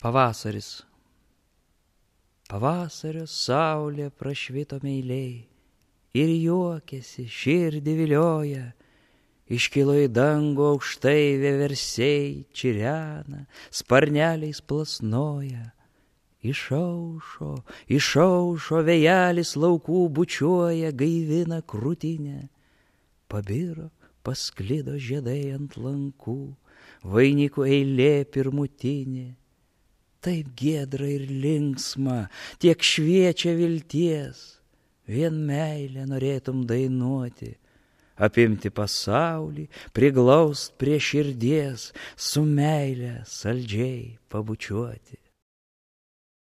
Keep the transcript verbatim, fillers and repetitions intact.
Pavasaris. Pavasario saulė prašvito meiliai ir juokėsi, širdį vilioja. Iškilo į dangų aukštai vieversiai, čirena, sparneliais plasnoja. Išaušo, išaušo, vėjelis laukų bučiuoja, gaivina krūtinę. Pabiro, pasklido žiedai ant lankų, vainikų eilė pirmutinė. Taip giedra ir linksma, tiek šviečia vilties, vien meilę norėtum dainuoti, apimti pasaulį, priglaust prie širdies, su meile saldžiai pabučiuoti.